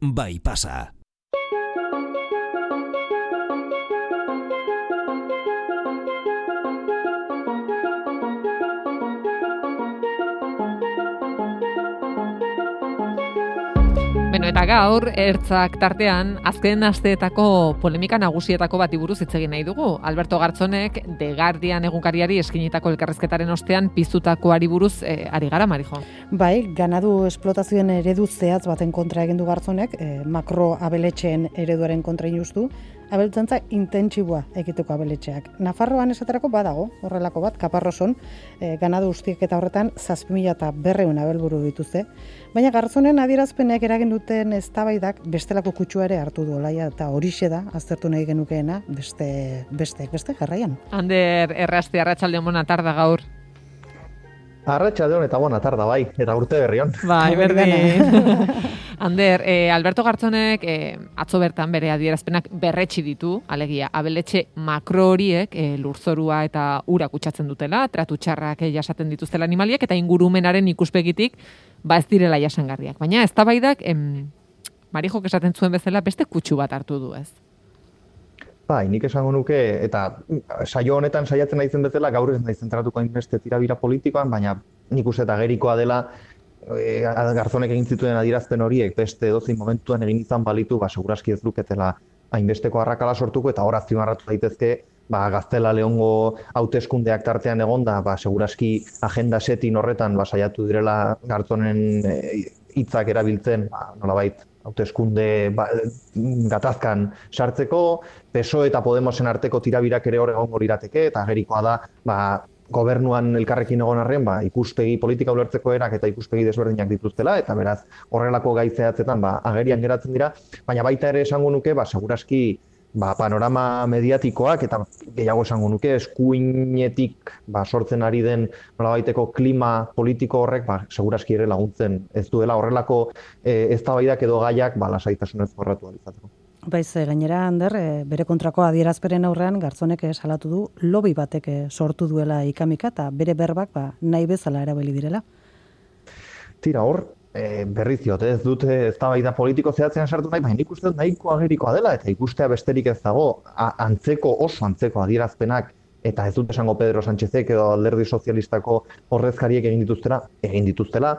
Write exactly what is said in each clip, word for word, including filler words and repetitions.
bai pasa. Bueno, eta gaur, ertzak tartean, azken asteetako polemika nagusietako bati buruz hitz egin nahi dugu. Alberto Gartzonek The Guardian egunkariari eskinitako elkarrizketaren ostean piztutakoari buruz eh, ari gara, Marijo. Bai, ganadu esplotazioen eredu zehatz baten kontra egin du Gartzonek, eh, makro abeletxeen ereduaren kontra injustu, abeltzantza intentsiboa egiteko abeletxeak. Nafarroan esaterako badago, horrelako bat, Kaparroson, eh, ganadu ustiek eta horretan zazpi mila eta berreun abelburu dituzte. Baina Gartzonen adierazpenek eragin duten eztabaidak bestelako kutsua ere hartu du olaia eta horixe da aztertu nahi genukeena beste beste beste jarraian. Ander Errasti, arratsaldeon bona tarda gaur. Arratsaldeon eta bona tarda bai, eta urte berrion. Bai, berdin. Ander, eh, Alberto Gartzonek eh, atzo bertan bere adierazpenak berretsi ditu, alegia, abeletxe makro horiek eh, lurzorua eta ura kutsatzen dutela, tratu txarrak eh, jasaten dituztela animaliek, eta ingurumenaren ikuspegitik ba ez direla jasangarriak. Baina eztabaidak em, Marijok esaten zuen bezala beste kutsu bat hartu du, ez? Bai, nik esango nuke, eta saio honetan saiatzen naizen bezala, gaur ez naiz zentratuko hainbeste tirabira politikoan, baina nik uste eta gerikoa dela, E, Gartzonek egin zituen adierazpen horiek beste edozein momentuan egin izan balitu, ba, seguraski ez luketela hainbesteko arrakala sortuko, eta hor azpimarratu daitezke, ba, Gaztela Leongo hauteskundeak tartean egonda, ba, seguraski agenda setin horretan ba, saiatu direla Gartzonen hitzak e, erabiltzen, ba, nolabait hauteskunde ba, gatazkan sartzeko, P S O E eta Podemosen arteko tirabirak ere hor egongo lirateke, eta gerikoa da, ba, gobernuan elkarrekin egon arren, ba, ikuspegi politika ulertzeko erak eta ikuspegi desberdinak dituztela, eta beraz horrelako gai zehatzetan ba, agerian geratzen dira, baina baita ere esango nuke, ba, seguraski ba, panorama mediatikoak eta gehiago esango nuke, eskuinetik ba, sortzen ari den nolabaiteko klima politiko horrek, ba, seguraski ere laguntzen ez duela horrelako e, eztabaidak edo gaiak ba, lasaitasunez jorratu ahal izateko. Baiz, gainera, Ander, bere kontrako adierazperen aurrean Gartzonek salatu du lobby batek sortu duela ikamika eta bere berbak ba, nahi bezala erabili direla. Tira hor, e, berriz diot, ez dute eztabaida politiko zehatzean sartu nahi, baina nik uste dut nahiko agerikoa dela eta ikustea besterik ez dago, a, antzeko oso antzeko adierazpenak eta ez dut esango Pedro Sánchezek edo Alderdi Sozialistako ordezkariek egin dituztela, egin dituztela,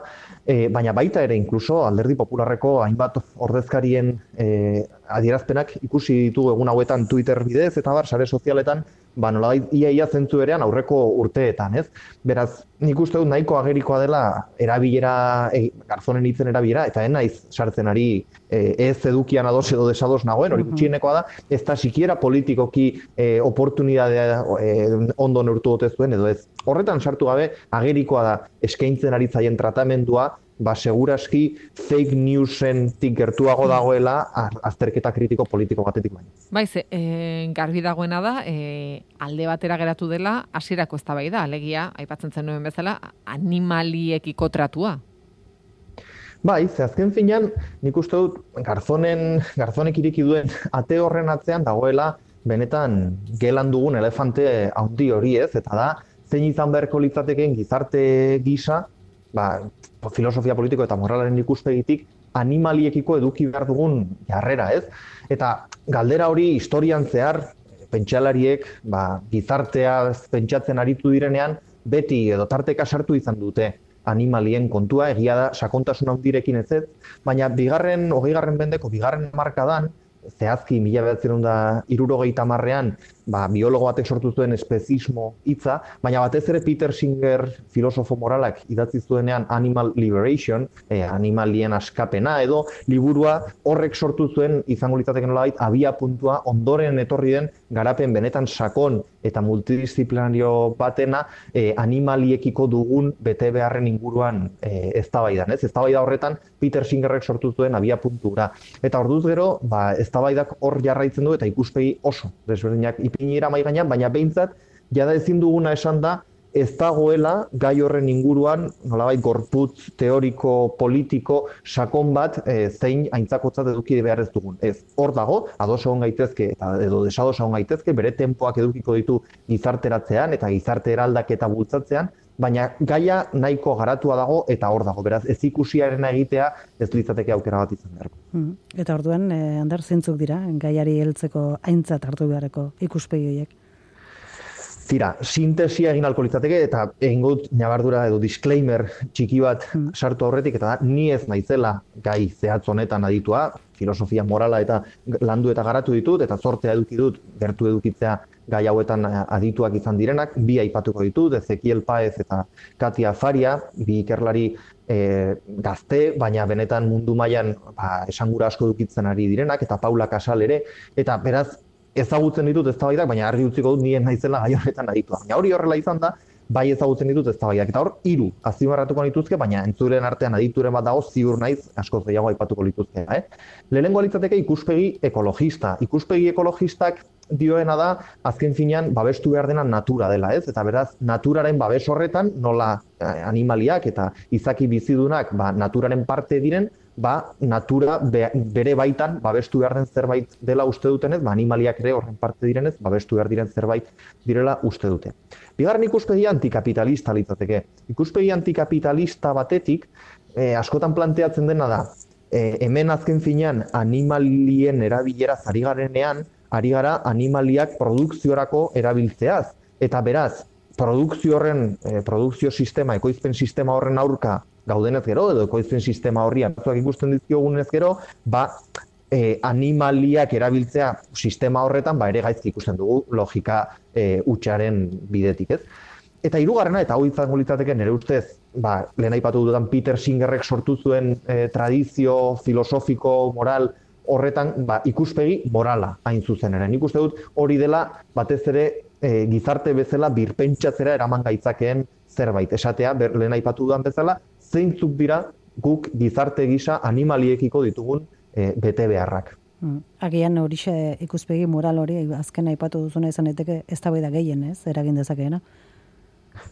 e, baina baita ere inkluso Alderdi Popularreko hainbat ordezkarien e, adierazpenak ikusi ditugu egun hauetan Twitter bidez eta bar sare sozialetan, ba nolabait ia ia zentzu berean aurreko urteetan, ez? Beraz, nik uste dut nahiko agerikoa dela erabilera e, Gartzonen hitzen erabilera eta ez naiz sartzen ari e, ez edukian ados edo desados nagoen, hori gutxienekoa da, ez da sikiera politikoki e, oportunidadea e, ondo neurtu dute zuen edo ez. Horretan sartu gabe agerikoa da eskaintzen ari zaien tratamendua, ba seguraski fake newsentik gertuago dagoela azterketa kritiko politiko batetik baina. Baiz, e, garbi dagoena da, e, alde batera geratu dela hasierako eztabaida, alegia, aipatzen zenuen bezala, animaliekiko tratua. Bai, ze azken finean, nik uste dut Gartzonen, Gartzonek ireki duen ate horren atzean dagoela benetan gelan dugun elefante handi hori ez, eta da, zein izan beharko litzatekeen gizarte gisa, ba, filosofia politiko eta moralaren ikuspegitik animaliekiko eduki behar dugun jarrera, ez? Eta galdera hori historian zehar pentsalariek ba, gizartea pentsatzen aritu direnean beti edo tarteka sartu izan dute animalien kontua, egia da sakontasun handirekin ez ez, baina bigarren, hogeigarren mendeko bigarren hamarkadan zehazki mila bederatziehun eta hirurogeita hamarrean ba, biologo batek sortu zuen espezismo hitza, baina batez ere Peter Singer filosofo moralak idatzi zuenean Animal Liberation, eh, animalien askapena edo liburua horrek sortu zuen izango litzateke nolabait abia puntua ondoren etorri den garapen benetan sakon eta multidisziplinario batena eh, animaliekiko dugun bete beharren inguruan eh, eztabaidan, ez? Eztabaida horretan Peter Singerrek sortu zuen abia puntura. Eta orduz gero, ba, eztabaidak hor jarraitzen du eta ikuspegi oso desberdinak ipinira mai gainean, baina behintzat jada ezin duguna esan da ez dagoela gai horren inguruan nolabait gorputz teoriko politiko sakon bat e, zein aintzakotzat eduki behar ez dugun. Ez, hor dago, ados egon gaitezke eta edo desados egon gaitezke, bere tempoak edukiko ditu gizarteratzean eta gizarte eraldaketa bultzatzean, baina gaia nahiko garatua dago eta hor dago, beraz, ez ikusiaren egitea ez litzateke aukera bat izan beharko. Mm. Eta orduan, eh, Ander, zeintzuk dira, gaiari heltzeko aintzat hartu beharreko ikuspegi horiek? Tira, sintesia egin alko litzateke eta egin gut nabardura edo disclaimer txiki bat mm. sartu aurretik, eta da, ni ez naizela gai zehatz honetan aditua, filosofia morala eta landu eta garatu ditut, eta zortea eduki dut, gertu edukitzea gai hauetan adituak izan direnak, bi aipatuko ditut, Ezekiel Paez eta Katia Faria, bi ikerlari e, gazte, baina benetan mundu mailan ba, esangura asko edukitzen ari direnak, eta Paula Casal ere, eta beraz, ezagutzen ditut eztabaidak, baina argi utziko dut nien naizela gai horretan aditua. Baina hori horrela izan da, bai ezagutzen ditut eztabaidak. Eta hor, hiru azpimarratuko nituzke, baina entzuren artean adituren bat dago, ziur naiz, askoz gehiago aipatuko lituzke. Eh? Lehenengo litzateke ikuspegi ekologista. Ikuspegi ekologistak dioena da, azken finean, babestu behar dena natura dela, ez? Eta beraz, naturaren babes horretan, nola animaliak eta izaki bizidunak ba, naturaren parte diren, ba, natura be, bere baitan babestu behar den zerbait dela uste dutenez, ba, animaliak ere horren parte direnez, babestu behar diren zerbait direla uste dute. Bigarren ikuspegi antikapitalista litzateke. Ikuspegi antikapitalista batetik, eh, askotan planteatzen dena da, eh, hemen azken finean animalien erabileraz ari garenean, ari gara animaliak produkziorako erabiltzeaz. Eta beraz, produkzio horren, eh, produkzio sistema, ekoizpen sistema horren aurka gaudenez gero, edo ekoizpen sistema horri arazoak ikusten dizkiogunez gero, ba, eh, animaliak erabiltzea sistema horretan, ba, ere gaizki ikusten dugu logika eh, hutsaren bidetik, ez? Eta hirugarrena, eta hau izango litzateke nire ustez, ba, lehen aipatu dudan Peter Singerrek sortu zuen eh, tradizio filosofiko, moral, horretan ba, ikuspegi morala hain zuzen ere. Nik uste dut hori dela batez ere e, gizarte bezala birpentsatzera eraman gaitzakeen zerbait. Esatea, ber, lehen aipatu dudan bezala, zeintzuk dira guk gizarte gisa animaliekiko ditugun e, bete beharrak. Mm. Agian horixe ikuspegi moral hori azken aipatu duzuna izan daiteke eztabaida gehien, ez? Eragin dezakeena.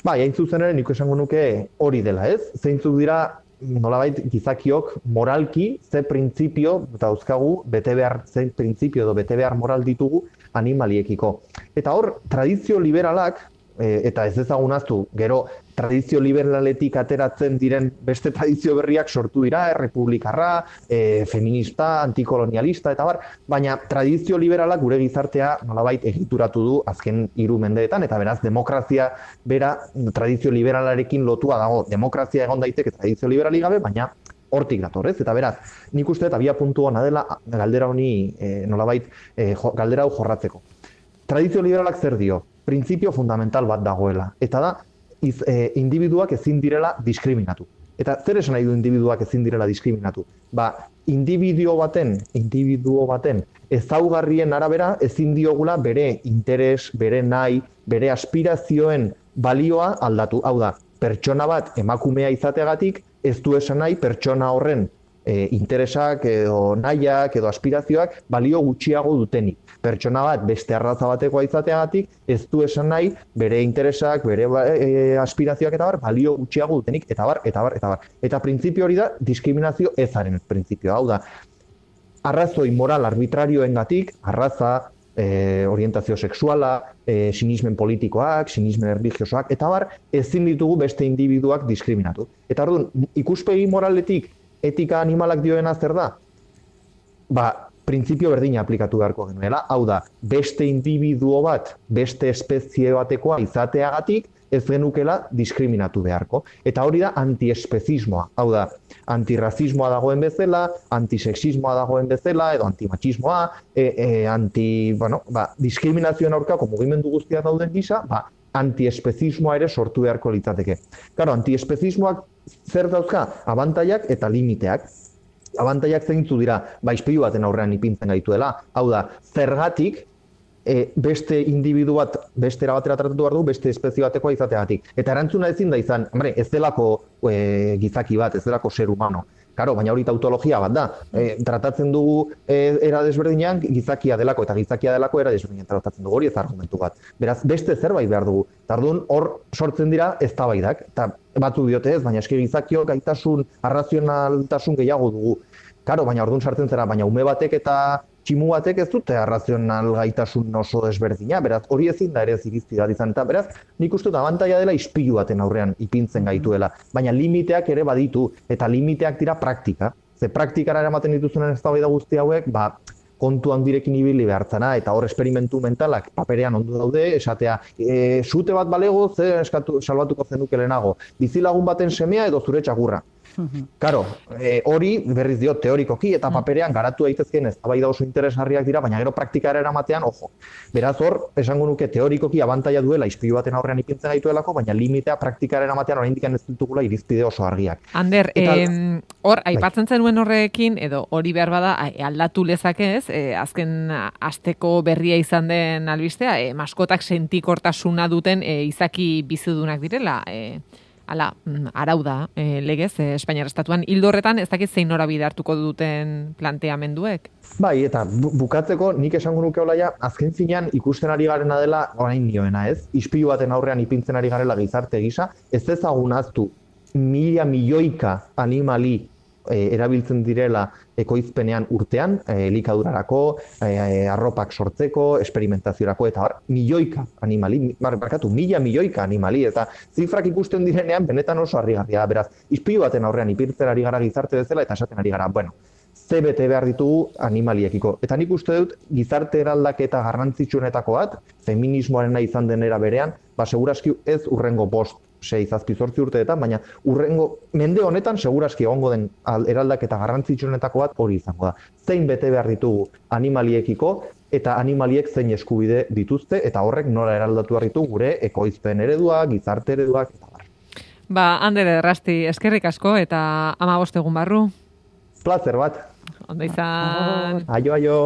Bai, hain zuzen ere nik esango nuke hori dela, ez? Zeintzuk dira nolabait gizakiok moralki ze printzipio dauzkagu bete behar, ze printzipio edo bete behar moral ditugu animaliekiko. Eta hor, tradizio liberalak, e, eta ez ezagunaztu, gero tradizio liberaletik ateratzen diren beste tradizio berriak sortu dira, errepublikarra, e, feminista, antikolonialista, eta bar, baina tradizio liberalak gure gizartea nolabait egituratu du azken hiru mendeetan, eta beraz demokrazia bera tradizio liberalarekin lotua dago. Demokrazia egon daiteke tradizio liberali gabe, baina hortik datorrez, eta beraz, nik uste eta abia puntu hona dela galdera honi e, nolabait e, jo, galdera hau jorratzeko. Tradizio liberalak zer dio? Printzipio fundamental bat dagoela, eta da, iz, e, individuak ezin direla diskriminatu. Eta zer esan nahi du individuak ezin direla diskriminatu? Ba, individuo baten, individuo baten ezaugarrien arabera ezin diogula bere interes, bere nahi, bere aspirazioen balioa aldatu. Hau da, pertsona bat emakumea izateagatik ez du esan nahi pertsona horren e, interesak edo nahiak edo aspirazioak balio gutxiago dutenik. Pertsona bat beste arraza batekoa izateagatik ez du esan nahi bere interesak, bere e, aspirazioak eta bar balio gutxiago dutenik, eta bar, eta bar, eta bar. Eta printzipio hori da diskriminazio ezaren printzipioa. Hau da, arrazoi moral arbitrarioengatik, arraza, e, orientazio sexuala, e, sinismen politikoak, sinismen religiosoak, eta bar, ezin ditugu beste individuak diskriminatu. Eta orduan, ikuspegi moraletik etika animalak dioena zer da? Ba, printzipio berdina aplikatu beharko genuela. Hau da, beste individuo bat, beste espezie batekoa izateagatik, ez genukela diskriminatu beharko. Eta hori da antiespezismoa. Hau da, antirrazismoa dagoen bezala, antisexismoa dagoen bezala, edo antimachismoa, e, e, anti, bueno, ba, diskriminazioen aurkako mugimendu guztia dauden gisa, ba, antiespezismoa ere sortu beharko litzateke. Claro, antiespezismoak zer dauzka? Abantaiak eta limiteak. Abantaiak zeintzu dira, ba, ispilu baten aurrean ipintzen gaituela. Hau da, zergatik e, beste individu bat, beste erabatera tratatu behar du, beste espezie batekoa izateagatik. Eta erantzuna ezin da izan, hombre, ez delako e, gizaki bat, ez delako ser humano. Karo, baina hori tautologia bat da. E, tratatzen dugu e, era desberdinean gizakia delako, eta gizakia delako era desberdinean tratatzen dugu, hori ez argumentu bat. Beraz, beste zerbait behar dugu. Tardun hor sortzen dira eztabaidak, eta batzu diote ez, baina eski gizakio gaitasun, arrazionaltasun gehiago dugu. Karo, baina orduan sartzen zera, baina ume batek eta tximu batek ez dute arrazional gaitasun oso desberdina, beraz, hori ezin da ere ez irizpi bat izan, eta beraz, nik uste dut abantaila dela ispilu baten aurrean ipintzen gaituela, baina limiteak ere baditu, eta limiteak dira praktika, ze praktikara eramaten dituzunen eztabaida guzti hauek, ba, kontu handirekin ibili behartzana, eta hor esperimentu mentalak paperean ondo daude, esatea, e, sute bat balego, ze eskatu, salbatuko zenuke lehenago, bizilagun baten semea edo zure txakurra. Karo, e, hori berriz dio teorikoki eta paperean garatu daitezkeen eztabaida oso interesgarriak dira, baina gero praktikara eramatean, ojo. Beraz hor, esango nuke teorikoki abantaila duela ispilu baten aurrean ipintzen gaituelako, baina limitea praktikara eramatean oraindik ez ditugula irizpide oso argiak. Ander, eta, em, hor, aipatzen zenuen horrekin, edo hori behar bada aldatu lezakez, e, azken asteko berria izan den albistea, e, maskotak sentikortasuna duten e, izaki bizidunak direla, e, Hala, arau da, e, legez, e, Espainiar Estatuan. Hildo horretan, ez dakit zein norabide hartuko duten planteamenduek? Bai, eta bu bukatzeko nik esango nuke olaia, azken finean ikusten ari garena dela orain dioena, ez? Ispilu baten aurrean ipintzen ari garela gizarte gisa, ez ezagun aztu mila milioika animali e, erabiltzen direla ekoizpenean urtean, e, elikadurarako, e, arropak sortzeko, esperimentaziorako, eta hor, milioika animali, barkatu, mila milioika animali, eta zifrak ikusten direnean benetan oso harrigarria, beraz, ispilu baten aurrean ipintzen ari gara gizarte bezala, eta esaten ari gara, bueno, ze bete behar ditugu animaliekiko. Eta nik uste dut, gizarte eraldaketa garrantzitsuenetako bat, feminismoarena izan denera berean, ba, seguraski ez urrengo bost, sei, zazpi, zortzi urteetan, baina urrengo mende honetan seguraski egongo den eraldaketa garrantzitsuenetako bat hori izango da. Zein bete behar ditugu animaliekiko eta animaliek zein eskubide dituzte eta horrek nola eraldatu behar ditugu gure ekoizpen eredua, gizarte ereduak eta bar. Ba, Ander Errasti, eskerrik asko eta hamabost egun barru. Plazer bat. Ondo izan. Aio, aio.